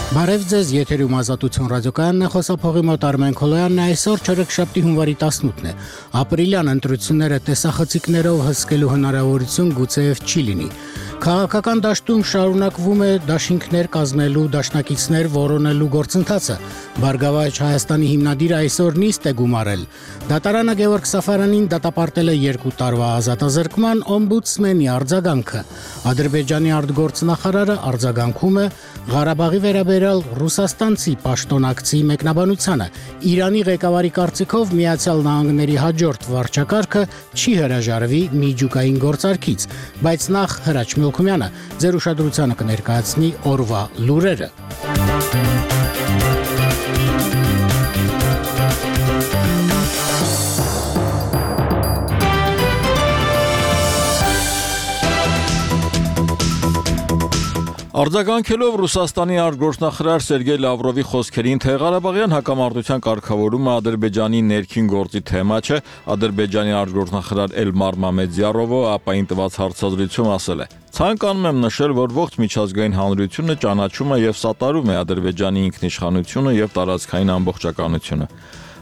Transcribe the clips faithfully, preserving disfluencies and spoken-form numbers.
Բարև ձեզ, եթերում Ազատություն ռադիոկայանն է, խոսափողի մոտ Արմեն Քոլոյանն է, այսօր չորեքշաբթի հունվարի տասնութն է, ապրիլյան ընտրությունները տեսախցիկներով հսկելու հնարավորություն գուցեև չի լինի։ Քաղաքական դաշտում շարունակվում է դաշինքներ կազմելու, դաշնակիցներ որոնելու գործընթացը։ Բարգավաճ Հայաստանի հիմնադիրը այսօր նիստ է գումարել։ Դատարանը Գևորգ Սաֆարանին դատապարտել է երկու տարվա ազատազրկման օմբուդսմենի արձագանքը։ Ադրբեջանի արտգործնախարարը արձագանքում է Ղարաբաղի վերաբերյալ ռուսաստանցի պաշտոնակցի մեկնաբանությանը։ Իրանի ղեկավարի կարծիքով Միացյալ Նահանգների հաջորդ վարչակարգը չի հրաժարվի միջուկային գործարքից, բայց նախ Հրաչ Մելքումյանը ձեր ուշադրությանը կներկայացնի օրվա լուրերը։ Արձագանքելով Ռուսաստանի արտգործնախարար Սերգեյ Լավրովի խոսքերին, թե Ղարաբաղյան հակամարտության կարգավորումը Ադրբեջանի ներքին գործի թեմա չէ, Ադրբեջանի արտգործնախարար Էլմար Մամեդյարովը ապային տված հարցազրույցում ասել է. «Ցանկանում եմ նշել, որ ողջ միջազգային հանրությունը ճանաչում է եւ սատարում է Ադրբեջանի ինքնիշխանությունը եւ տարածքային ամբողջականությունը»։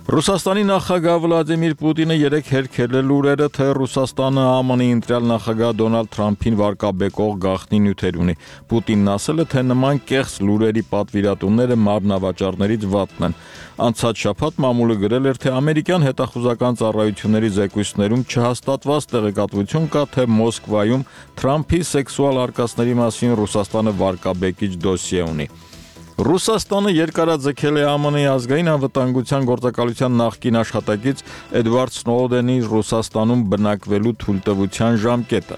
Ռուսաստանի նախագահ Վլադիմիր Պուտինը երեկ հերքել է լուրերը, թե Ռուսաստանը ԱՄՆ-ի ընտրյալ նախագահ Դոնալդ Թրամփին վարկաբեկող գաղտնի նյութեր ունի։ Պուտինն ասել է, թե նման կեղծ լուրերի պատվիրատուները մարմնավաճառներից վատն են։ Անցած շաբաթ մամուլը գրել էր, թե ամերիկյան հետախուզական ծառայությունների զեկույցներում չհաստատված տեղեկատվություն կա, թե Մոսկվայում Թրամփի սեքսուալ արկածների մասին Ռուսաստանը վարկաբեկիչ դոսիե ունի։ Ռուսաստանը երկարաձգել է ԱՄՆ-ի ազգային անվտանգության գործակալության նախկին աշխատակից Էդվարդ Սնոուդենի Ռուսաստանում բնակվելու թույլտվության ժամկետը։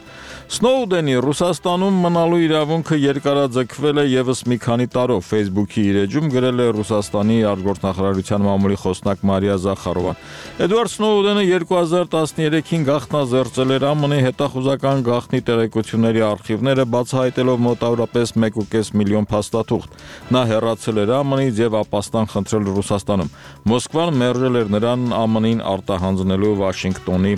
Սնոուդենի Ռուսաստանում մնալու իրավունքը երկարաձգվել է եւս մի քանի տարով, Facebook-ի իր էջում գրել է Ռուսաստանի արտգործնախարարության մամուլի խոսնակ Մարիա Զախարովան։ Էդվարդ Սնոուդենը երկու հազար տասներեքին գաղտնազերծել էր ԱՄՆ-ի հետախուզական գաղտնի տեղեկությունների արխիվները, բացահայտելով մոտավորապես մեկ ու կես միլիոն փաստաթուղթ։ Նա հեռացել էր ԱՄՆ-ից եւ ապաստան խնդրել Ռուսաստանում։ Մոսկվան մերժել էր նրան ԱՄՆ-ին արտահանձնելու Վաշինգտոնի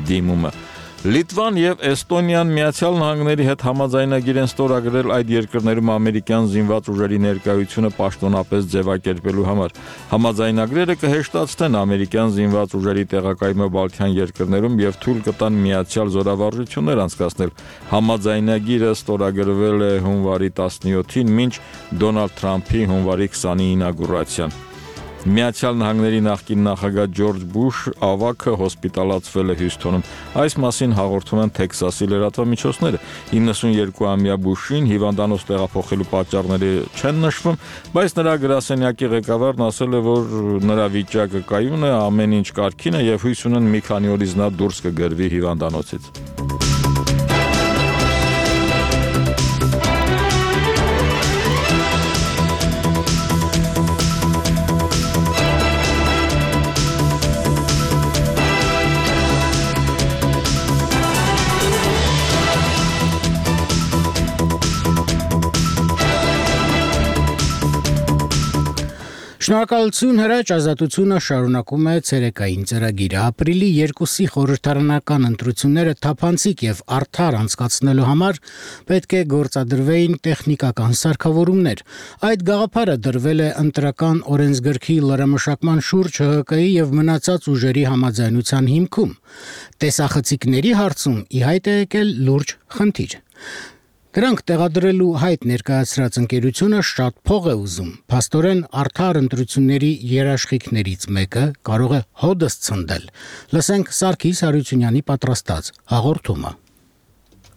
դիմումը։ Լիտվան եւ Էստոնիան Միացյալ Նահանգների հետ համաձայնագիր են ստորագրել այդ երկրներում ամերիկյան զինված ուժերի ներկայությունը պաշտոնապես ձևակերպելու համար։ Համաձայնագրերը կհեշտացնեն ամերիկյան զինված ուժերի տեղակայումը Բալթյան երկրներում եւ թույլ կտան միացյալ զորավարժություններ անցկացնել։ Համաձայնագիրը ստորագրվել է հունվարի տասնյոթին, մինչ Դոնալդ Թրամփի հունվարի քսանինի ինագուրացիան։ Միացյալ Նահանգների նախկին նախագահ Ջորջ Բուշ ավագը հոսպիտալացվել է Հյուսթոնում։ Այս մասին հաղորդում են Թեքսասի լրատվամիջոցները։ իննսունյոթամյա Բուշին հիվանդանոց տեղափոխելու պատճառները չեն նշվում, բայց նրա գրասենյակի ղեկավարն ասել է, որ նրա վիճակը կայուն է, ամեն ինչ կարգին է եւ հույս ունեն մի քանի օրից նա դուրս կգրվի հիվանդանոցից։ Շնորհակալություն Հրաչ, Ազատությունը շարունակում է ցերեկային ծրագիրը։ Ապրիլի երկուսի խորհրդարանական ընտրությունները թափանցիկ եւ արդար անցկացնելու համար պետք է գործադրվեին տեխնիկական սարքավորումներ։ Այդ գաղափարը դրվել է ընտրական օրենսգրքի լրամշակման շուրջ ՀՀԿ-ի եւ մնացած ուժերի համաձայնության հիմքում։ Տեսախցիկների հարցում ի հայտ է եկել լուրջ խնդիր։ Դրանք տեղադրելու հայտ ներկայացրած ընկերությունը շատ փող է ուզում։ Փաստորեն արդար ընտրությունների երաշխիքներից մեկը կարող է հոդս ցնդել։ Լսենք Սարգիս Հարությունյանի պատրաստած հաղորդումը։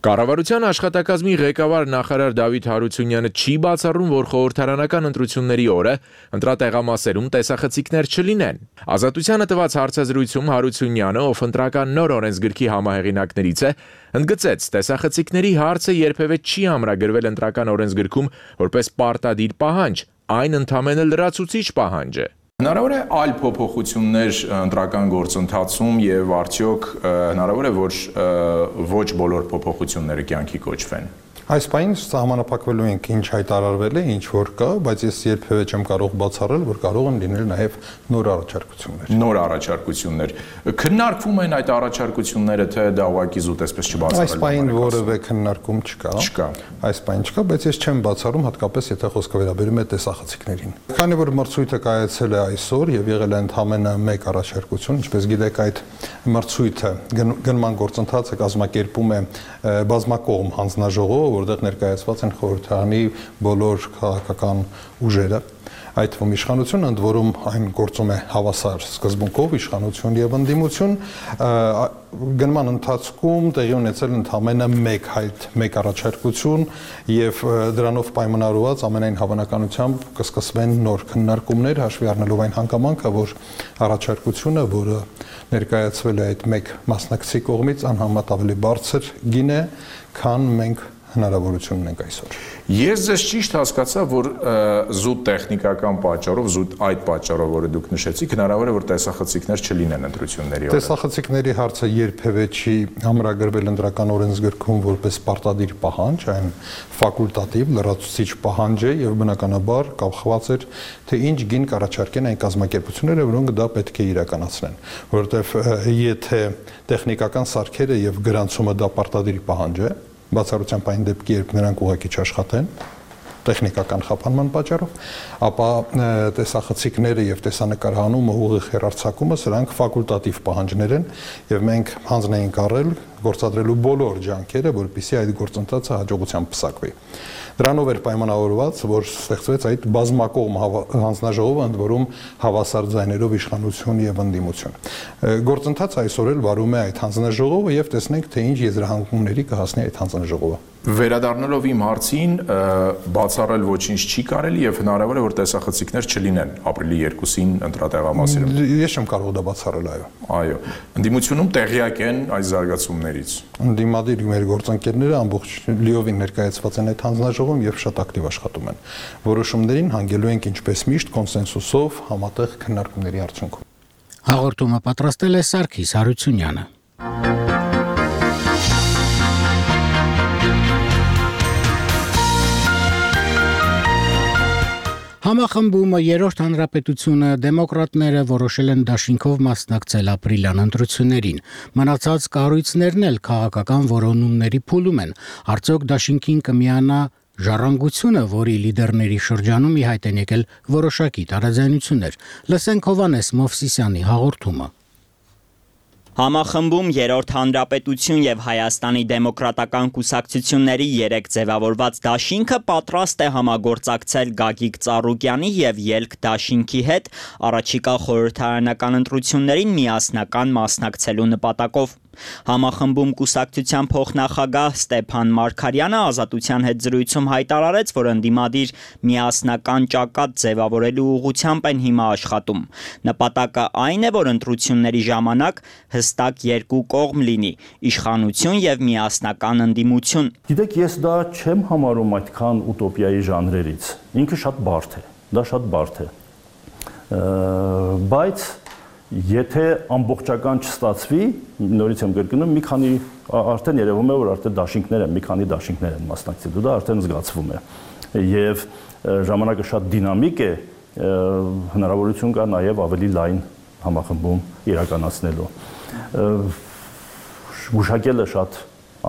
Կառավարության աշխատակազմի ղեկավար նախարար Դավիթ Հարությունյանը չի բացառում, որ խորհրդարանական ընտրությունների օրը ընտրատեղամասերում տեսախցիկներ չլինեն։ Ազատությանը տված հարցազրույցում Հարությունյանը, ով ընտրական նոր օրենսգրքի համահեղինակներից է, ընդգծեց, տեսախցիկների հարցը երբևէ չի ամրագրվել ընտրական օրենսգրքում որպես պարտադիր պահանջ, այն ընդամենը լրացուցիչ պահանջ է։ Հնարավոր է այլ փոփոխություններ ընտրական գործընթացում եւ արդյոք հնարավոր է որ ոչ բոլոր փոփոխությունները կյանքի կոչվեն։ Այս պայն սահմանափակվելու ենք ինչ հայտարարվել է, ինչ որ կա, բայց ես երբևէ չեմ կարող բացառել, որ կարող են լինել նաև նոր առաջարկություններ։ Նոր առաջարկություններ։ Քննարկվում են այդ առաջարկությունները, թե դա ուղղակի զուտ այսպես չբացառել։ Այս պայն որևէ քննարկում չկա։ Չկա։ Այս պայն չկա, բայց ես չեմ բացառում, հատկապես եթե խոսքը վերաբերում է տեսախցիկներին։ Քանի որ մրցույթը կայացել է այսօր եւ եղել է ընդամենը մեկ առաջարկություն, ինչպես գիտեք, այդ մրցույթը գնման գործընթացը կազմակերպում է բազմակողմ հանձնաժողով, որտեղ ներկայացված են խորհրդարանի բոլոր քաղաքական ուժերը, այդ թվում իշխանությունը, ընդ որում այն գործում է հավասար սկզբունքով իշխանություն եւ ընդդիմություն, գնման ընթացքում տեղի ունեցել ընդամենը մեկ հայտ, մեկ առաջարկություն եւ դրանով պայմանավորված ամենայն հավանականությամբ կսկսվեն նոր քննարկումներ, հաշվի առնելով այն հանգամանքը, որ առաջարկությունը, որը ներկայացվել է այդ մեկ մասնակցի կողմից, անհամեմատ ավելի բարձր գին է, քան մենք հնարավորություն ունենք այսօր։ Ես ձեզ ճիշտ հասկացա, որ զուտ տեխնիկական պատճառով, զուտ այդ պատճառով, որը դուք նշեցիք, հնարավոր է, որ տեսախցիկներ չլինեն ընտրությունների օրը։ Տեսախցիկների հարցը երբևէ չի ամրագրվել ընտրական օրենսգրքում որպես պարտադիր պահանջ, այն ֆակուլտատիվ, լրացուցիչ պահանջ է եւ բնականաբար կապված էր, թե ինչ գին կառաջարկեն այն կազմակերպությունները, որոնք դա պետք է իրականացնեն, որովհետեւ եթե տեխնիկական սարքերը եւ գրանցումը դա պարտադիր պահանջ է, բացառությամբ այն դեպքի, երբ նրանք ուղղակի չաշխատեն տեխնիկական խափանման պատճառով, ապա տեսախցիկները եւ տեսանկարահանումը ուղիղ հեռարձակումը սրանք ֆակուլտատիվ պահանջներ են եւ մենք հանձն ենք առել գործադրելու բոլոր ջանքերը, որպեսզի այդ գործընթացը հաջողությամբ պսակվի։ Դրանով էր պայմանավորված, որ ստեղծվեց այդ բազմակողմ հանձնաժողովը, ընդ որում հավասար ձայներով իշխանություն եւ ընդդիմություն։ Գործընթացը այսօր էլ վարում է այդ հանձնաժողովը եւ տեսնենք, թե ինչ եզրահանգումների կհասնի այդ հանձնաժողովը։ Վերադառնալով իմ հարցին, բացառել ոչինչ չի կարելի եւ հնարավոր է, որ տեսախցիկներ չլինեն ապրիլի երկուսին ընտրատեղամասերում։ Ես չեմ կարող դա բացառել, այո։ Այո։ Ընդդիմությունում տեղյակ են այս զարգացումներից։ Ընդդիմադիր մեր գործընկերները ամբողջ լիովին ներկայացված են այդ հանձնաժողովում եւ շատ ակտիվ աշխատում են։ Որոշումներին հանգելու ենք ինչպես միշտ կոնսենսուսով համատեղ քննարկումների արդյունքում։ Հաղորդումը պատրաստել է Սարգիս Հարությունյանը։ Համախմբումը երրորդ հանրապետությունը դեմոկրատները որոշել են դաշինքով մասնակցել ապրիլյան ընտրություններին։ Մնացած կառույցներն էլ քաղաքական որոնումների փուլում են։ Արդյոք դաշինքին կմիանա ժառանգությունը, որի լիդերների շրջանում ի հայտ են եկել որոշակի տարաձայնություններ։ Լսենք Հովհաննես Մովսիսյանի հաղորդումը։ Համախմբում երրորդ հանրապետություն եւ Հայաստանի դեմոկրատական կուսակցությունների երեք ձևավորված դաշինքը պատրաստ է համագործակցել Գագիկ Ծառուկյանի եւ Ելք դաշինքի հետ առաջիկա խորհրդարանական ընտրություններին միասնական մասնակցելու նպատակով։ Համախմբում կուսակցության փոխնախագահ Ստեփան Մարգարյանը Ազատության հետ զրույցում հայտարարեց, որ ընդդիմադիր միասնական ճակատ ձևավորելու ուղղությամբ են հիմա աշխատում։ Նպատակը այն է, որ ընտրությունների ժամանակ հստակ երկու կողմ լինի՝ իշխանություն եւ միասնական ընդդիմություն։ Գիտեք, ես դա չեմ համարում այդքան ուտոպիայի ժանրերից։ Ինքը շատ բարդ է, դա շատ բարդ է։ Բայց եթե ամբողջական չստացվի, նորից եմ կրկնում, մի քանի արդեն երևում է, որ արդեն դաշինքներ են, մի քանի դաշինքներ են մասնակցելու, դա արդեն զգացվում է։ Եվ ժամանակը շատ դինամիկ է, հնարավորություն կա նաև ավելի լայն համախմբում իրականացնելու։ Գուշակելը շատ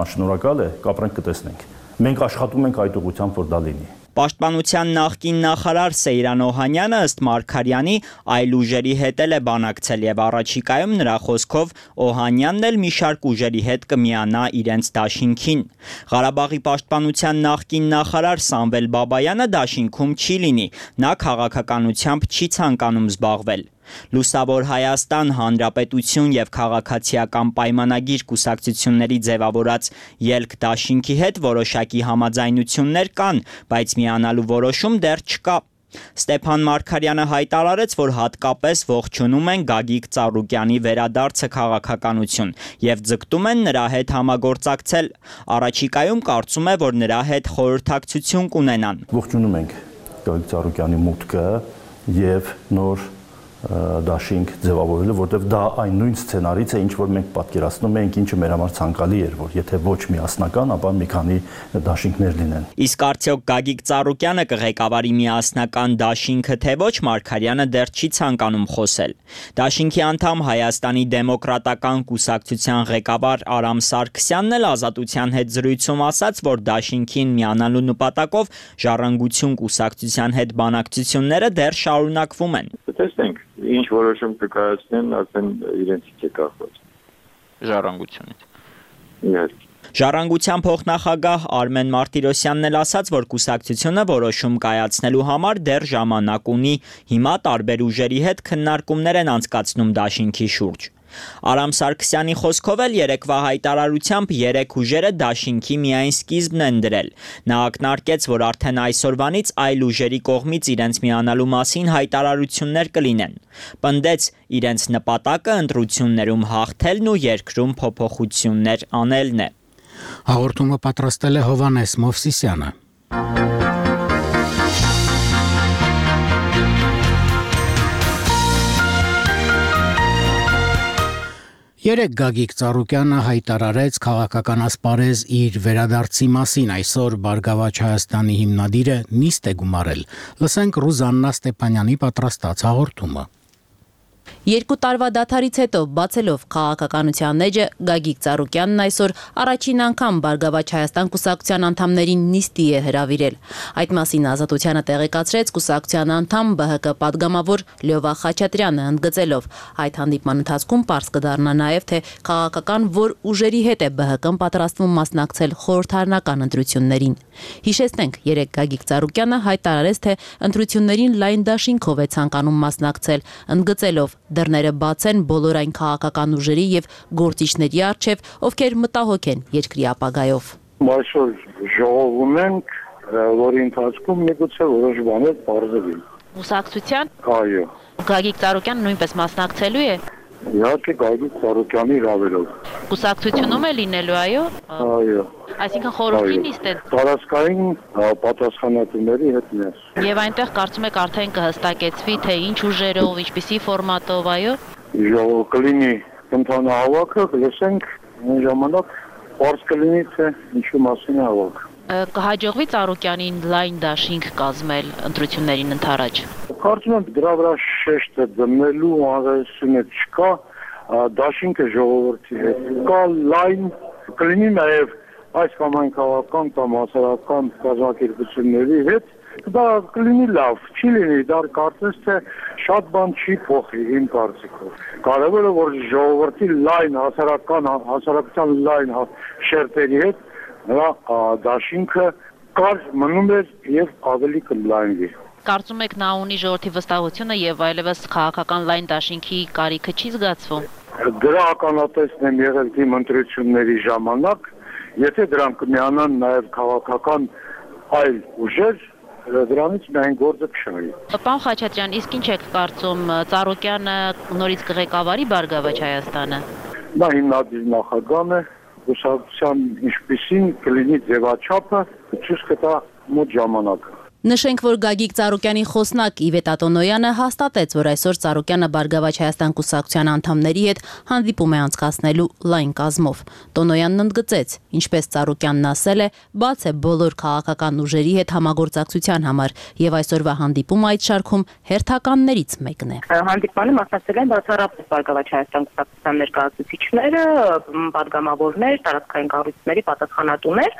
անշնորհակալ է, կապրենք կտեսնենք։ Մենք աշխատում ենք այդ ուղղությամբ, որ դա լինի։ Պաշտպանության նախկին նախարար Սեյրան Օհանյանը ըստ Մարգարյանի այլ ուժերի հետ էլ է բանակցել եւ առաջիկայում նրա խոսքով Օհանյանն էլ մի շարք ուժերի հետ կմիանա իրենց դաշինքին։ Ղարաբաղի պաշտպանության նախկին նախարար Սամվել Բաբայանը դաշինքում չի լինի, նա քաղաքականությամբ չի ցանկանում զբաղվել։ Լուսավոր Հայաստան, Հանրապետություն եւ քաղաքացիական պայմանագիր կուսակցությունների ձևավորած Ելք դաշինքի հետ որոշակի համաձայնություններ կան, բայց միանալու որոշում դեռ չկա։ Ստեփան Մարգարյանը հայտարարեց, որ հատկապես ողջունում են Գագիկ Ծառուկյանի վերադարձը քաղաքականություն եւ ձգտում են նրա հետ համագործակցել։ Առաջիկայում կարծում է, որ նրա հետ խորհրդակցություն կունենան։ Ողջունում ենք Գագիկ Ծառուկյանի մուտքը եւ նոր դաշինք ձևավորելը, որտեղ դա այն նույն սցենարից է, ինչ որ մենք պատկերացնում էինք, ինչը մեր համար ցանկալի էր, որ եթե ոչ միասնական, ապա մի քանի դաշինքներ լինեն։ Իսկ արդյոք Գագիկ Ծառուկյանը կղեկավարի միասնական դաշինքը, թե ոչ, Մարգարյանը դեռ չի ցանկանում խոսել։ Դաշինքի անդամ Հայաստանի դեմոկրատական կուսակցության ղեկավար Արամ Սարգսյանն էլ Ազատության հետ զրույցում ասաց, որ դաշինքին միանալու նպատակով Ժառանգություն կուսակցության հետ բանակցությունները դեռ շարունակվում են։ Տեսնենք, ինչ որոշում կկայացնեն, արդեն իրենցից է կախված։ Ժառանգությունից։ Իհարկե։ Ժառանգության փոխնախագահ Արմեն Մարտիրոսյանն էլ ասաց, որ կուսակցությունը որոշում կայացնելու համար դեռ ժամանակ ունի, հիմա տարբեր ուժերի հետ քննարկումներ են անցկացնում դաշինքի շուրջ։ Արամ Սարգսյանի խոսքով էլ երեկվա հայտարարությամբ երեք ուժերը դաշինքի միայն սկիզբն են դրել։ Նա ակնարկեց, որ արդեն այսօրվանից այլ ուժերի կողմից իրենց միանալու մասին հայտարարություններ կլինեն։ Պնդեց, իրենց նպատակը ընտրություններում հաղթելն ու երկրում փոփոխություններ անելն է։ Հաղորդումը պատրաստել է Հովանես Մովսիսյանը։ Երեք Գագիկ Ծառուկյանը հայտարարեց քաղաքական ասպարեզ իր վերադարձի մասին, այսօր Բարգավաճ Հայաստանի հիմնադիրը նիստ է գումարել։ Լսենք Ռուզաննա Ստեփանյանի պատրաստած հաղորդումը։ Երկու տարվա դադարից հետո բացելով քաղաքականության էջը Գագիկ Ծառուկյանն այսօր առաջին անգամ Բարգավաճ Հայաստան կուսակցության անդամներին նիստի է հրավիրել։ Այդ մասին Ազատությանը տեղեկացրեց կուսակցության անդամ Բ Հ Կ падգամավոր Լյովա Խաչատրյանը, ընդգծելով այդ հանդիպման ընթացքում պարզ կդառնա նաև թե քաղաքական որ ուժերի հետ է Բ Հ Կն պատրաստվում մասնակցել խորհրդարանական ընտրություններին։ Հիշեցնենք, երեք Գագիկ Ծառուկյանը հայտարարեց, թե ընտրություններին լայն դաշինքով է ցանկանում մասնակցել, ընդգծելով դռները բաց են բոլոր այն քաղաքական ուժերի եւ գործիչների առջեւ, ովքեր մտահոգ են երկրի ապագայով։ Այսօր ժողովում ենք, որի ընթացքում միգուցե որոշ բաներ բարձրվի։ Կուսակցության։ Այո։ Գագիկ Ծառուկյանը նույնպես մասնակցելու է։ Իհարկե Գագիկ Ծառուկյանի հրավերով։ Կուսակցությունում է լինելու, այո։ Այո։ Այսինքն խորհրդի նիստ է։ Տարածքային պատասխանատուների հետ միասին։ Եվ այնտեղ կարծում եք արդեն կհստակեցվի, թե ինչ ուժերով, ինչպիսի ֆորմատով, այո։ Ժողով կլինի ընդհանրահավաքը, լսենք այն ժամանակ պարզ կլինի, թե ինչու մասին է հավաքը։ Կհաջողվի Ծառուկյանին լայն դաշինք կազմել ընտրություններին ընդառաջ։ Կարծում եմ դրա վրա շեշտը դնելու անհրաժեշտությունը չկա, դաշինքը ժողովրդի հետ կա, լայն կլինի նաև այս կամ այն քաղաքական կամ հասարակական կազմակերպությունների հետ, դա կլինի լավ, չի լինի, դա կարծես թե շատ բան չի փոխի իմ կարծիքով։ Կարևորը որ ժողովրդի լայն հասարակական հասարակության լայն շերտերի հետ նրա դաշինքը կար մնում էր եւ ավելի կլայնվի։ Կարծում եք նա ունի ժողովրդի վստահությունը եւ այլևս քաղաքական լայն դաշինքի կարիքը չի զգացվում։ Դրա ականատեսն եմ եղել իմ ընտրությունների ժամանակ, եթե դրանք կմիանան նաեւ քաղաքական այլ ուժեր, դրանից միայն գործը կշահի։ Պարոն Խաչատրյան, իսկ ինչ եք կարծում, Ծառուկյանը նորից կղեկավարի Բարգավաճ Հայաստանը։ Նա հիմնադիր նախագահն է, կուսակցության ինչպիսին կլինի ձևաչափը, ցույց կտա մոտ ժամանակը։ Նշենք, որ Գագիկ Ծառուկյանի խոսնակ Իվետ Ատոնոյանը հաստատեց, որ այսօր Ծառուկյանը Բարգավաճ Հայաստան կուսակցության անդամների հետ հանդիպում է անցկացնելու լայն կազմով։ Տոնոյանն ընդգծեց, ինչպես Ծառուկյանն ասել է, բաց է բոլոր քաղաքական ուժերի հետ համագործակցության համար եւ այսօրվա հանդիպումը այդ շարքում հերթականներից մեկն է։ Հանդիպմանը մասնակցել են բացառապես Բարգավաճ Հայաստան կուսակցության ներկայացուցիչները, падգամավորներ, տարածքային կառույցների պատասխանատուներ,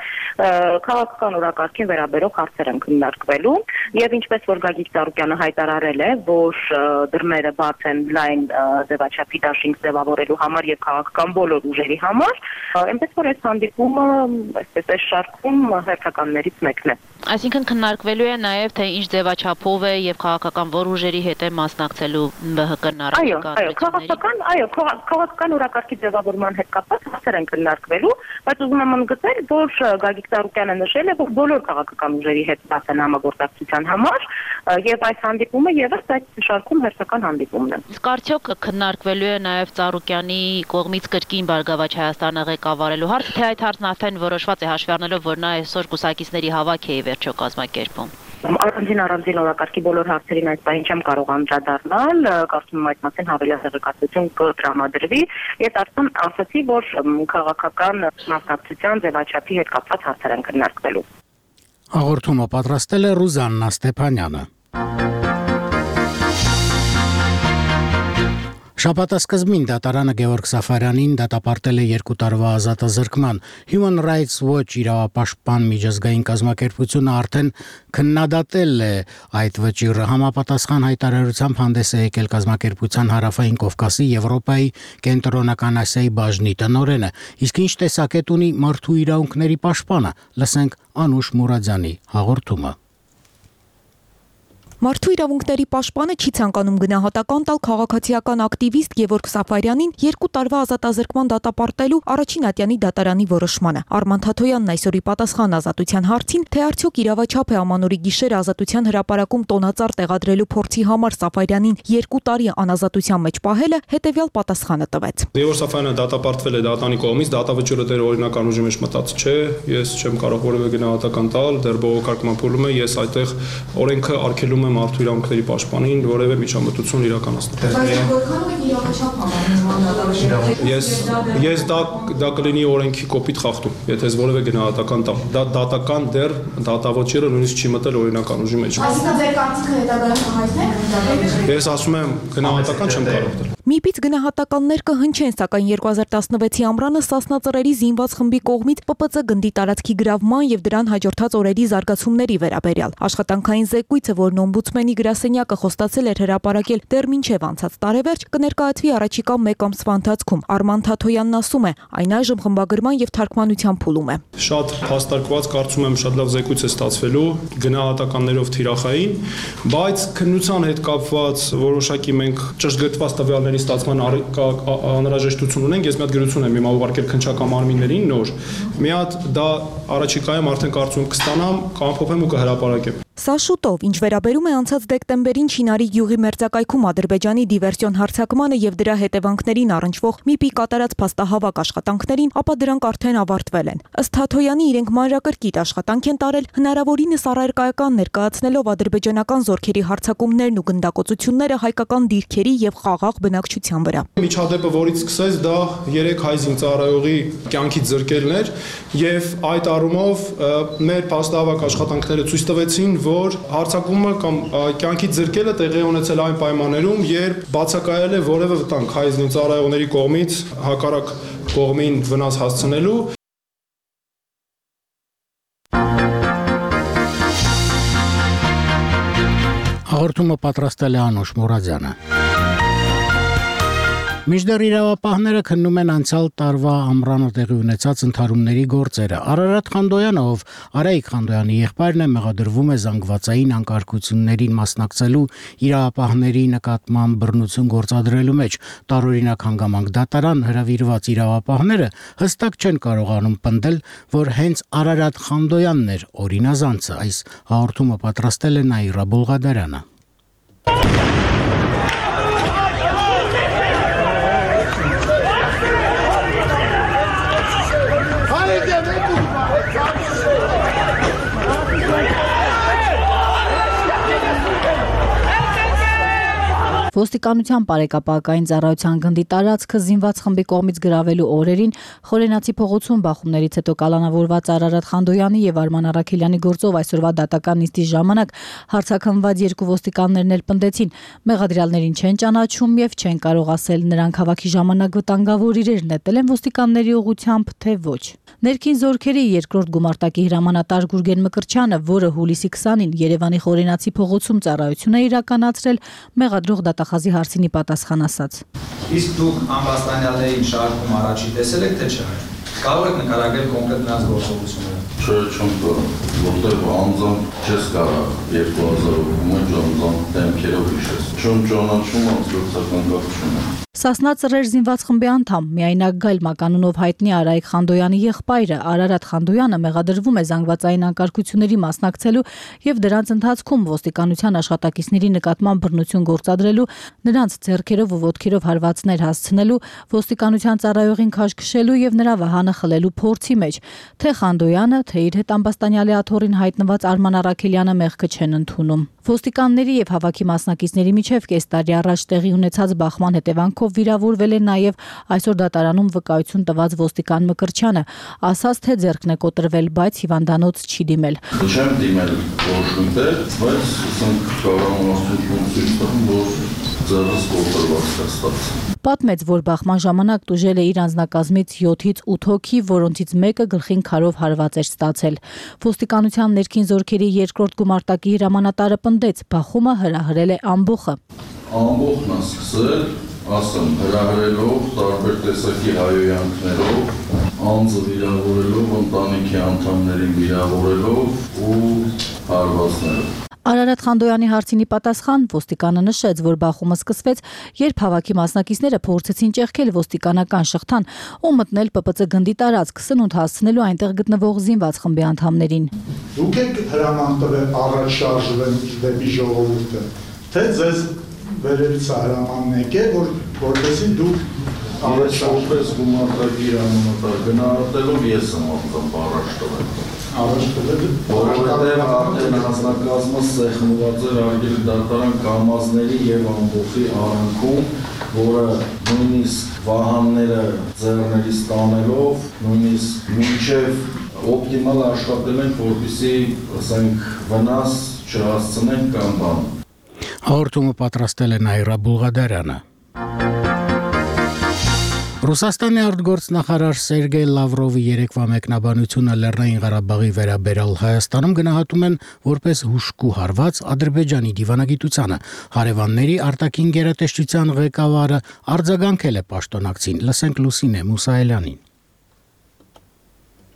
քաղաքական օրակարգին վերաբերող հարցեր են քննարկվել։ Եվ ինչպես որ Գագիկ Ծառուկյանը հայտարարել է, որ դռները բաց են լայն ձևաչափի դաշինք ձևավորելու համար եւ քաղաքական բոլոր ուժերի համար, այնպես որ այս հանդիպումը այսպես այս շարքում հերթականներից մեկն է։ Այսինքն քննարկվելու է նաեւ թե ինչ ձևաչափով է եւ քաղաքական որ ուժերի հետ է մասնակցելու Բ Հ Կ-ն առաջիկա ընտրություններին։ Այո, քաղաքական, այո, քաղաքական օրակարգի ձևավորման հետ կապված հարցեր են քննարկվելու, բայց ուզում եմ ընդգծել, որ Գագիկ Ծառուկյանը նշել է, որ բոլոր քաղաքական ուժերի հետ բաց են համագործակցության համար եւ այս հանդիպումը եւս այդ շարքում հերթական հանդիպումն է։ Իսկ արդյոք քննարկվելու է նաեւ Ծառուկյանի կողմից կրկին Բարգավաճ Հայաստանը ղեկավարելու հարցը, թե այդ հարցն արդեն որոշված է հաշվի առնելով, որ նա այսօր կուսակիցների հավաք է վերջո կազմակերպում։ Առանձին առանձին օրակարգի բոլոր հարցերին այս պահին չեմ կարող անդրադառնալ, կարծում եմ այդ մասին հավելյալ տեղեկատվություն կտրամադրվի, եւ արդեն ասացի, որ քաղաքական մասնակցության ձևաչափի հետ կապված հարցեր են քննարկվելու։ Հաղորդումը պատրաստել է Ռուզաննա Ստեփանյանը։ Շաբաթասկզբին դատարանը Գևորգ Սաֆարյանին դատապարտել է երկու տարվա ազատազրկման։ Human Rights Watch իրավապաշտպան միջազգային կազմակերպությունը արդեն քննադատել է այդ վճիռը։ Համապատասխան հայտարարությամբ հանդես է եկել կազմակերպության Հարավային Կովկասի, Եվրոպայի, Կենտրոնական Ասիայի բաժնի տնօրենը։ Իսկ ինչ տեսակետ ունի մարդու իրավունքների պաշտպանը։ Լսենք Անուշ Մուրադյանի հաղորդումը։ Մարդու իրավունքների պաշտպանը չի ցանկանում գնահատական տալ քաղաքացիական ակտիվիստ Գևորգ Սաֆարյանին երկու տարվա ազատազրկման դատապարտելու առաջին ատյանի դատարանի որոշմանը։ Արման Թաթոյանն այսօրի պատասխան ազատության հարցին, թե արդյոք իրավաչափ է ամանորի գիշերը ազատության հրապարակում տոնածառ տեղադրելու փորձի համար Սաֆարյանին երկու տարի անազատության մեջ պահելը, հետևյալ պատասխանը տվեց։ Գևորգ Սաֆարյանը դատապարտվել է դատանի կողմից, դատավճիռը դեռ օրինական ուժի մեջ մտած չէ, ես չեմ կարող որևէ գնահատական տալ, դեռ բողոքարկման փուլում է, ես այդտեղ օրենքը արգելում մարդու իրավունքների պաշտպանին որևէ միջամտություն իրականացնել։ Ես ես դա դա կլինի օրենքի կոպիտ խախտում, եթե ես որևէ գնահատական տամ։ Դա դատական դեռ դատավճիռը նույնիսկ չի մտել օրինական ուժի մեջ։ Այսինքն ձեր կարծիքը հետագայում կհայտնեք։ Ես ասում եմ գնահատական չեմ կարող տալ։ Մի պիծ գնահատականներ կհնչեն, սակայն երկու հազար տասնվեցի ամռանը Սասնա ծռերի զինված խմբի կողմից Պ Պ Ծ գնդի տարածքի գրավման եւ դրան հաջորդած օրերի զարգացումների վերաբերյալ։ Աշխատանքային զեկույցը, որն օմբուդսմենի գրասենյակը խոստացել էր հրապարակել դեռ մինչև անցած տարեվերջ, կներկայացվի առաջիկա մեկ ամսվա ընթացքում։ Արման Թաթոյանն ասում է, այն այժմ խմբագրման եւ թարգմանության փուլում է։ Շատ հաստարկված, կարծում եմ շատ լավ զեկույց է ստացվելու, գնահատականներով թիրախային, բայց քննության հետ կապված որոշակի մենք ճշգրտված տվյալների ստացման անհրաժեշտություն ունենք։ Ես մի հատ գրություն եմ հիմա ուղարկել քննչական մարմիններին նոր։ Մի հատ դա առաջիկայում արդեն կարծում եմ կստանամ, կամփոփեմ ու կհրապարակեմ։ Սա շուտով, ինչ վերաբերում է անցած դեկտեմբերին Չինարի գյուղի մերձակայքում Ադրբեջանի դիվերսիոն հարձակմանը եւ դրա հետևանքներին առնչվող ՄԻՊ-ի կատարած փաստահավաք աշխատանքներին, ապա դրանք արդեն ավարտվել են։ Ըստ Թաթոյանի, իրենք մանրակրկիտ աշխատանք են տարել, հնարավորինս առարկայական ներկայացնելով ադրբեջանական զորքերի հարձակումներն ու գնդակոծությունները հայկական դիրքերի եւ խաղաղ բնակչության վրա։ Միջադեպը, որից սկսեց, դա երեք հայ զինծառայողի կյանքից զրկելն էր եւ այդ առումով մեր փաստահավաք աշխատանքները ցույց տվեցին, որ հարձակումը կամ կյանքից զրկելը տեղի ունեցել այն պայմաններում, երբ բացակայել է որևէ վտանգ հայ զինծառայողների կողմից հակառակ կողմին վնաս հասցնելու։ Հաղորդումը պատրաստել է Անուշ Մուրադյանը։ Միջդեռ իրավապահները քննում են անցյալ տարվա ամռանը տեղի ունեցած ընդհարումների գործերը։ Արարատ Խանդոյանը, ով Արայիկ Խանդոյանի եղբայրն է, մեղադրվում է զանգվածային անկարգություններին մասնակցելու իրավապահների նկատմամբ բռնություն գործադրելու մեջ։ Տարօրինակ հանգամանք դատարան հրավիրված իրավապահները հստակ չեն կարողանում պնդել, որ հենց Արարատ Խանդոյանն էր օրինազանցը։ Այս հաղորդումը պատրաստել է Նաիրա Բոլղադարյանը։ Ոստիկանության բարեկապակային ծառայության գնդի տարածքը զինված խմբի կողմից գրավելու օրերին Խորենացի փողոցում բախումներից հետո կալանավորված Արարատ Խանդոյանի եւ Արման Արաքելյանի գործով այսօրվա դատական նիստի ժամանակ հարցաքննված երկու ոստիկաններն էլ պնդեցին, մեղադրյալներին չեն ճանաչում եւ չեն կարող ասել նրանք հավաքի ժամանակ վտանգավոր իրեր նետել են ոստիկանների ուղղությամբ, թե ոչ։ Ներքին զորքերի երկրորդ գումարտակի հրամանատար Գուրգեն Մկրչյանը, որը հուլիսի քսանին Երևանի Խորենացի փողոցում ծառայություն է իրականացրել, մեղադրող դատախազի հարցինի պատասխան ասաց. Իսկ դուք ամբաստանյալներին շարքում առաջի տեսել եք, թե չէ։ Կարող եք նկարագրել կոնկրետ նրանց գործողությունները։ Չէ, չեմ կարող, որտեղ անձամբ չես կարող երկու հազար հոգու մեջ անձամբ դեմքերով հիշես։ Չեմ ճանաչում, անձնական կապ չունեմ։ Սասնա ծռեր զինված խմբի անդամ միայնակ Գայլ Մականունով հայտնի Արայիկ Խանդոյանի եղբայրը Արարատ Խանդոյանը մեղադրվում է զանգվածային անկարգությունների մասնակցելու եւ դրանց ընթացքում ոստիկանության աշխատակիցների նկատմամբ բռնություն գործադրելու, նրանց ձեռքերով ու ոտքերով հարվածներ հասցնելու, ոստիկանության ծառայողին քաշքշելու եւ նրա վահանը խլելու փորձի մեջ, թե Խանդոյանը, թե իր հետ ամբաստանյալի աթոռին հայտնված Արման Արաքելյանը մեղքը չեն ընդունում։ Ոստիկանների եւ հավաքի մասնակիցների միջև կես տարի առաջ տեղի ունեցած բախման հետևանքով վիրավորվել է նաեւ այսօր դատարանում վկայություն տված ոստիկան Մկրտչյանը, ասաց թե ձեռքն է կոտրվել, բայց հիվանդանոց չի դիմել։ Չեմ դիմել ոչ միտեղ, բայց ասենք կառավարություն ցույց տվում, որ ձեռս կոտրված է ստացել։ Պատմեց, որ բախման ժամանակ տուժել է իր անձնակազմից յոթից ութ հոգի, որոնցից մեկը գլխին քարով հարված էր ստացել։ Ոստիկանության ներքին զորքերի երկրորդ գումարտակի հրամանատարը պնդեց, բախումը հրահրել է ամբոխը։ Ամբոխն է սկսել, ասեմ, հրահրելով տարբեր տեսակի հայոյանքներով, անձը վիրավորելով, ընտանիքի անդամներին վիրավորելով ու հարվածներով։ Արարատ Խանդոյանի հարցինի պատասխան ոստիկանը նշեց, որ բախումը սկսվեց, երբ հավաքի մասնակիցները փորձեցին ճեղքել ոստիկանական շղթան ու մտնել Պ Պ Ց գնդի տարածք, սնունդ հասցնելու այնտեղ գտնվող զինված խմբի անդամներին։ Դուք եք հրաման տվել առաջ շարժվել դեպի ժողովուրդը, թե ձեզ վերևից հրամանն եկել, որ որպեսզի դուք առաջ որպես գումարտակի հրամանատար գնահատելով ես եմ ապրում առաջ տվել։ Որովհետև արդեն հանձնակազմը սեղմված էր արգելի դատարան կամազների եւ ամբոխի արանքում, որը նույնիսկ վահանները ձեռներից տանելով, նույնիսկ մինչև օպտիմալ աշխատել ենք, որպեսզի, ասենք, վնաս չհասցնենք կամ բան։ Հաղորդումը պատրաստել է Նաիրա Բուլղադարյանը։ Ռուսաստանի արտգործնախարար Սերգեյ Լավրովի երեկվա մեկնաբանությունը Լեռնային Ղարաբաղի վերաբերյալ Հայաստանում գնահատում են որպես հուժկու հարված Ադրբեջանի դիվանագիտությանը։ Հարևանների արտաքին գերատեսչության ղեկավարը արձագանքել է պաշտոնակցին։ Լսենք Լուսինե Մուսայելյանին։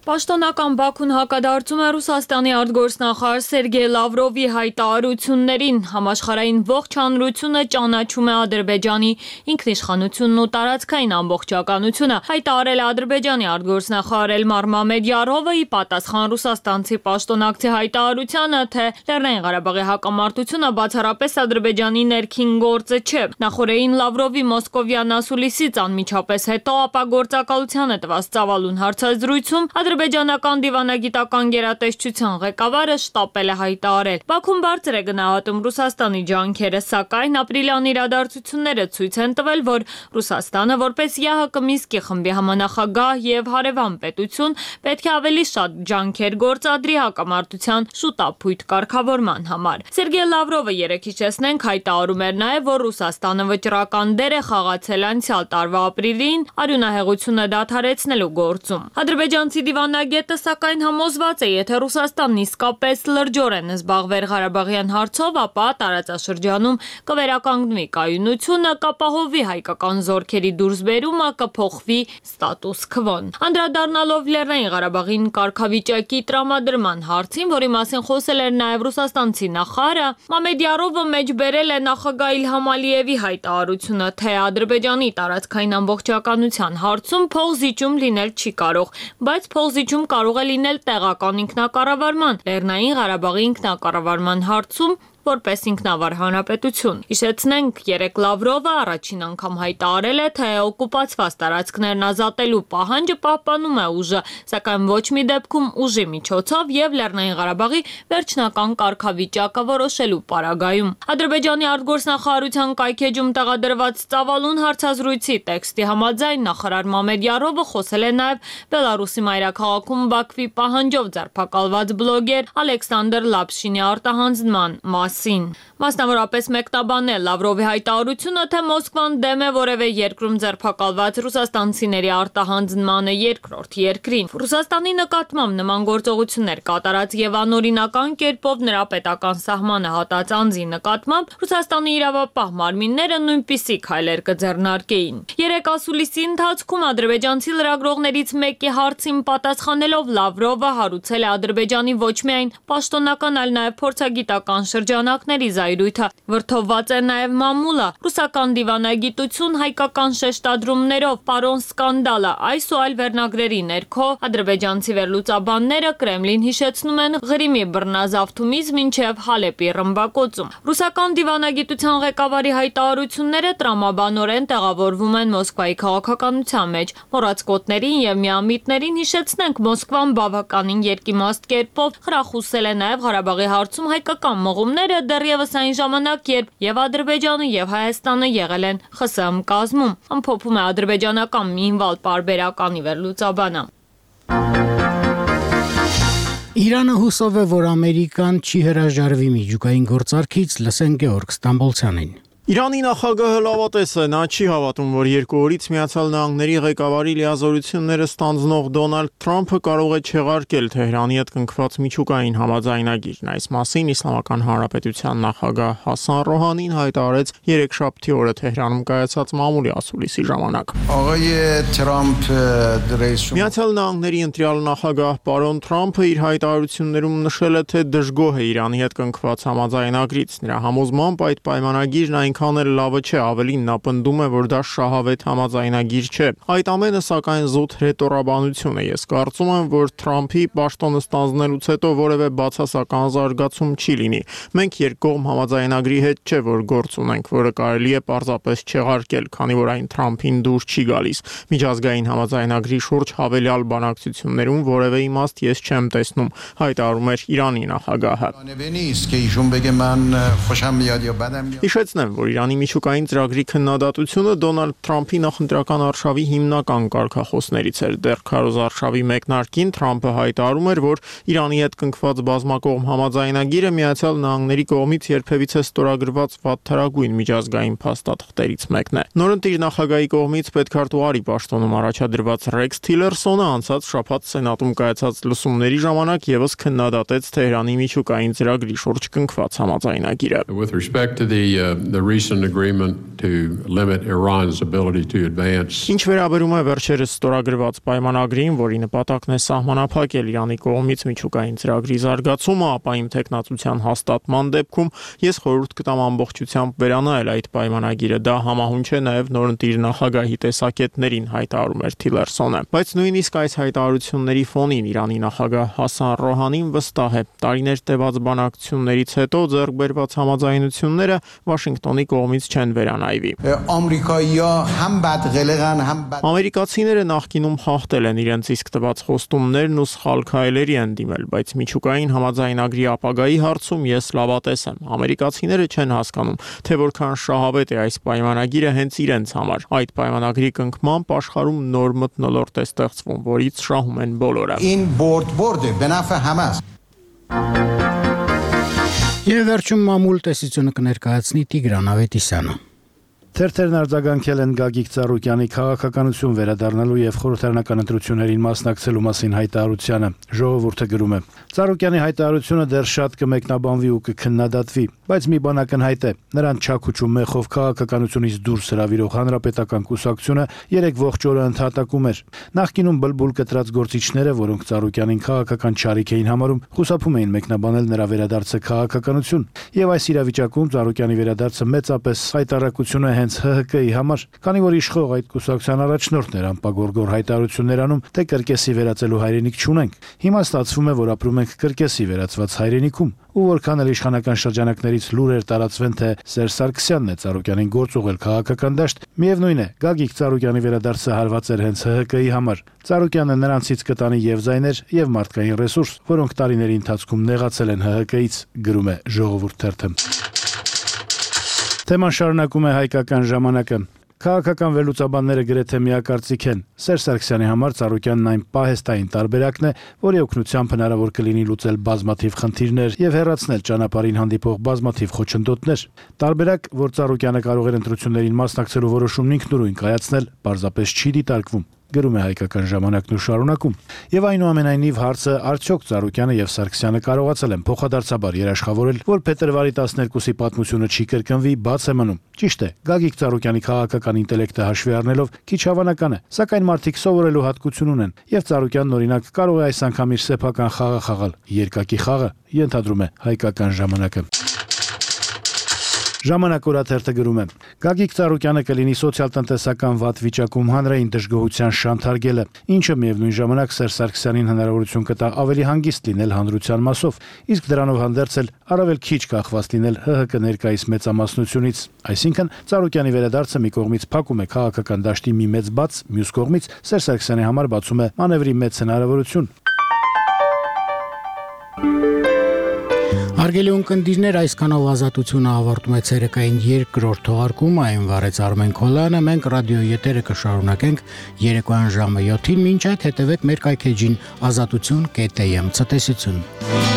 Պաշտոնական Բաքուն հակադարձում է Ռուսաստանի արտգործնախարար Սերգեյ Լավրովի հայտարարություններին։ Համաշխարհային ողջ հանրությունը ճանաչում է Ադրբեջանի ինքնիշխանությունն ու տարածքային ամբողջականությունը, հայտարարել է Ադրբեջանի արտգործնախարար Էլմար Մամեդյարովը՝ ի պատասխան ռուսաստանցի պաշտոնակցի հայտարարությանը, թե Լեռնային Ղարաբաղի հակամարտությունը բացառապես Ադրբեջանի ներքին գործը չէ։ Նախորդին Լավրովի մոսկովյան ասուլիսից անմիջապես հետո ապա գործակալությանը տված ծավալուն հարցազրույցում ադրբեջանական դիվանագիտական գերատեսչության ղեկավարը շտապել է հայտարարել։ Բաքուն բարձր է գնահատում Ռուսաստանի ջանքերը, սակայն ապրիլյան իրադարձությունները ցույց են տվել, որ Ռուսաստանը որպես ԵԱՀԿ Մինսկի խմբի համանախագահ եւ հարևան պետություն պետք է ավելի շատ ջանքեր գործադրի հակամարտության շուտապույտ կարգավորման համար։ Սերգեյ Լավրովը երեկ հիշեցնենք հայտարարում էր նաեւ, որ Ռուսաստանը վճռական դեր է խաղացել անցյալ տարվա ապրիլին արյունահեղությունը դադարեցնելու գործում։ Ադրբեջանցի դիվանագետը սակայն համոզված է, եթե Ռուսաստանն իսկապես լրջորեն զբաղվեր Ղարաբաղյան հարցով, ապա տարածաշրջանում կվերականգնվի կայունությունը, կապահովվի հայկական զորքերի դուրսբերումը, կփոխվի ստատուս քվոն։ Անդրադառնալով Լեռնային Ղարաբաղին կարգավիճակի տրամադրման հարցին, որի մասին խոսել էր նաև ռուսաստանցի նախարարը, Մամեդյարովը մեջբերել է նախագահ Իլհամ Ալիևի հայտարարությունը, թե Ադրբեջանի տարածքային ամբողջականության հարցում փոխզիջում լինել չի կարող, բայց փոխզիջում կարող է լինել տեղական ինքնակառավարման, Լեռնային Ղարաբաղի ինքնակառավարման հարցում որպես ինքնավար հանրապետություն։ Հիշեցնենք, երեկ Լավրովը առաջին անգամ հայտարարել է, թե օկուպացված տարածքներն ազատելու պահանջը պահպանում է ուժը, սակայն ոչ մի դեպքում ուժի միջոցով եւ Լեռնային Ղարաբաղի վերջնական կարգավիճակը որոշելու պարագայում։ Ադրբեջանի արտգործնախարարության կայքեջում տեղադրված ծավալուն հարցազրույցի տեքստի համաձայն նախարար Մամեդյարովը խոսել է նաեւ Բելարուսի մայրաքաղաքում Բաքվի պահանջով ձերբակալված բլոգեր Ալեքսանդր Լապշինի արտահանձնման մասին։ Մասնավորապես մեկնաբանել Լավրովի հայտարարությունը, թե Մոսկվան դեմ է որևէ երկրում ձերբակալված ռուսաստանցիների արտահանձնմանը երկրորդ երկրին։ Ռուսաստանի նկատմամբ նման գործողություններ կատարած եւ անօրինական կերպով նրա պետական սահմանը հատած անձի նկատմամբ Ռուսաստանի իրավապահ մարմինները նույնպիսի քայլեր կձեռնարկեին։ Երեք ասուլիսի ընթացքում ադրբեջանցի լրագրողներից մեկի հարցին պատասխանելով Լավրովը հարուցել է Ադրբեջանի ոչ միայն պաշտոնական, այլ նաեւ փորձագիտական շրջան շրջանակների զայրույթը։ Վրդովված է նաև մամուլը, ռուսական դիվանագիտություն հայկական շեշտադրումներով, պարոն սկանդալը, այս ու այլ վերնագրերի ներքո ադրբեջանցի վերլուծաբանները Կրեմլին հիշեցնում են Ղրիմի բռնազավթումից մինչև Հալեպի ռմբակոծում։ Ռուսական դիվանագիտության ղեկավարի հայտարարությունները տրամաբանորեն տեղավորվում են Մոսկվայի քաղաքականության մեջ։ Մոռացկոտներին եւ միամիտներին հիշեցնենք, Մոսկվան բավականին երկիմաստ կերպով խրախուսել է նաև Ղարաբաղի հարցում հայկական մղումները դեռևս այն ժամանակ, երբ եւ Ադրբեջանը եւ Հայաստանը եղել են ԽՍՀՄ կազմում, ամփոփում է ադրբեջանական Մինվալ պարբերականի վերլուծաբանը։ Իրանը հուսով է, որ Ամերիկան չի հրաժարվի միջուկային գործարքից, լսեն Գեորգ Ստամբոլցյանին։ Իրանի նախագահը լավատես է, նա չի հավատում, որ երկու օրից Միացյալ Նահանգների ղեկավարի լիազորությունները ստանձնող Դոնալդ Թրամփը կարող է չեղարկել Թեհրանի հետ կնքված միջուկային համաձայնագիրն։ Այս մասին Իսլամական Հանրապետության նախագահ Հասան Ռոհանին հայտարարեց երեքշաբթի օրը Թեհրանում կայացած մամուլի ասուլիսի ժամանակ։ Միացյալ Նահանգների ընտրյալ նախագահ պարոն Թրամփը իր հայտարարություններում նշել է, թե դժգոհ է Իրանի հետ կնքված համաձայնագրից։ Նրա համոզմամբ այդ պայմանագիրն այնքան էլ լավը չէ, ավելին նա պնդում է, որ դա շահավետ համաձայնագիր չէ։ Այդ ամենը սակայն զուտ հրետորաբանություն է։ Ես կարծում եմ, որ Թրամփի պաշտոնը ստանձնելուց հետո որևէ բացասական զարգացում չի լինի։ Մենք երկկողմ համաձայնագրի հետ չէ, որ գործ ունենք, որը կարելի է պարզապես չեղարկել, քանի որ այն Թրամփին դուր չի գալիս։ Միջազգային համաձայնագրի շուրջ հավելյալ բանակցություններում որևէ իմաստ ես չեմ տեսնում, հայտարարում էր Իրանի նախագահը։ Հիշեցնեմ, որ Իրանի միջուկային ծրագրի քննադատությունը Դոնալդ Թրամփի նախընտրական արշավի հիմնական կարգախոսներից էր։ Դեռ քարոզ արշավի մեկնարկին Թրամփը հայտարարում էր, որ Իրանի հետ կնքված բազմակողմ համաձայնագիրը Միացյալ Նահանգների կողմից երբևիցե ստորագրված վատթարագույն միջազգային փաստաթղթերից մեկն է։ Նորընտիր նախագահի կողմից պետքարտուղարի պաշտոնում առաջադրված Ռեքս Թիլերսոնը անցած շաբաթ Սենատում կայացած լսումների ժամանակ եւս քննադատեց Թեհրանի միջուկային ծրագրի շուրջ կնքված համաձայնագիրը։ The recent agreement to limit Iran's ability to advance. Ինչ վերաբերում է վերջերս ստորագրված պայմանագրին, որի նպատակն է սահմանափակել Իրանի կողմից միջուկային ծրագրի զարգացումը, ապա իմ տեխնացության հաստատման դեպքում ես խորհուրդ կտամ ամբողջությամբ վերանայել այդ պայմանագիրը։ Դա համահունչ է նաև նորընտիր նախագահի տեսակետներին, հայտարարում էր Թիլերսոնը։ Բայց նույնիսկ այս հայտարարությունների ֆոնին Իրանի նախագահ Հասան Ռոհանին վստահ է, տարիներ տևած բանակցություններից հետո ձեռք բերված համաձայնությունները Վաշինգտոնի կողմից չեն վերանայվի։ Ամերիկացիները նախկինում խախտել են իրենց իսկ տված խոստումներն ու սխալ քայլերի են դիմել, բայց միջուկային համաձայնագրի ապագայի հարցում ես լավատես եմ։ Ամերիկացիները չեն հասկանում, թե որքան շահավետ է այս պայմանագիրը հենց իրենց համար։ Այդ պայմանագրի կնքմամբ աշխարհում նոր մթնոլորտ է ստեղծվում, որից շահում են բոլորը։ Եվ վերջում մամուլ տեսությունը կներկայացնի Տիգրան Ավետիսյանը։ Թերթերն արձագանքել են Գագիկ Ծառուկյանի քաղաքականություն վերադառնալու եւ խորհրդարանական ընտրություններին մասնակցելու մասին հայտարարությանը։ Ժողովուրդը գրում է. Ծառուկյանի հայտարարությունը դեռ շատ կմեկնաբանվի ու կքննադատվի, բայց մի բան ակնհայտ է. նրան չաքուչ ու մեխով քաղաքականությունից դուրս հրավիրող հանրապետական կուսակցությունը երեք ողջ օրը ընդհատակում էր։ Նախկինում բլբուլ կտրած գործիչները, որոնք Ծառուկյանին քաղաքական չարիք էին համարում, խուսափում էին մեկնաբանել նրա վերադարձը քաղաքականություն, եւ այս իրավիճակում Ծառուկյանի վերադարձը մեծապես հայտարարություն է հենց Հ Հ Կ-ի համար, քանի որ իշխող այդ կուսակցության առաջնորդն էր անպագորգոր հայտարարություններ անում, թե կրկեսի վերածելու հայրենիք չունենք։ Հիմա ստացվում է, որ ապրում ենք կրկեսի վերածված հայրենիքում, ու որքան էլ իշխանական շրջանակներից լուրեր տարածվեն, թե Սերժ Սարգսյանն է Ծառուկյանին գործ ուղղել քաղաքական դաշտ, միևնույն է, Գագիկ Ծառուկյանի վերադարձը հարված էր հենց Հ Հ Կ-ի համար։ Ծառուկյանը նրանցից կտանի եւ զայներ, եւ մարդկային ռեսուրս, որոնք տարիների ընթացքում նեղացել են Հ Հ Կ-ից, գրում է Ժողովուրդ թերթը։ Թեման շարունակում է Հայկական ժամանակը։ Քաղաքական վերլուծաբանները գրեթե միակարծիք են։ Սերժ Սարգսյանի համար Ծառուկյանն այն պահեստային տարբերակն է, որի օգնությամբ հնարավոր կլինի լուծել բազմաթիվ խնդիրներ եւ հեռացնել ճանապարհին հանդիպող բազմաթիվ խոչընդոտներ։ Տարբերակ, որ Ծառուկյանը կարող էր ընտրություններին մասնակցելու որոշումն ինքնուրույն կայացնել, պարզապես չի դիտարկվում, գրում է Հայկական ժամանակն ու շարունակում։ Եվ այնուամենայնիվ հարցը արդյոք Ծառուկյանը եւ Սարգսյանը կարողացել են փոխադարձաբար երաշխավորել, որ փետրվարի տասներկուսի պատմությունը չի կրկնվի, բաց է մնում։ Ճիշտ է, Գագիկ Ծառուկյանի քաղաքական ինտելեկտը հաշվի առնելով քիչ հավանական է, սակայն մարդիկ սովորելու հատկություն ունեն, եւ Ծառուկյանն օրինակ կարող է այս անգամ իր սեփական խաղը խաղալ, երկակի խաղը, ենթադրում է Հայկական ժամանակը։ Ժամանակ օրաթերթը գրում է. Գագիկ Ծառուկյանը կլինի սոցիալ-տնտեսական վատ վիճակում հանրային դժգոհության շանթարգելը, ինչը միևնույն ժամանակ Սերժ Սարգսյանին հնարավորություն կտա ավելի հանգիստ լինել հանրության մասով, իսկ դրանով հանդերձ էլ առավել քիչ կախված լինել ՀՀԿ ներկայիս մեծամասնությունից։ Այսինքն Ծառուկյանի վերադարձը մի կողմից փակում է քաղաքական դաշտի մի մեծ բաց, մյուս կողմից Սերժ Սարգսյանի համար բացում է մանևրի մեծ հնարավորություն։ Հարգելի ունկնդիրներ, այսքանով ազատությունը ավարտում է ցերեկային երկրորդ թողարկումը, այն վարեց Արմեն Քոլյանը, մենք ռադիոյի եթերը կշարունակենք երեկոյան ժամը յոթին, մինչ այդ հետևեք մեր կայքեջին ազատություն կետ էմ, ցտեսություն։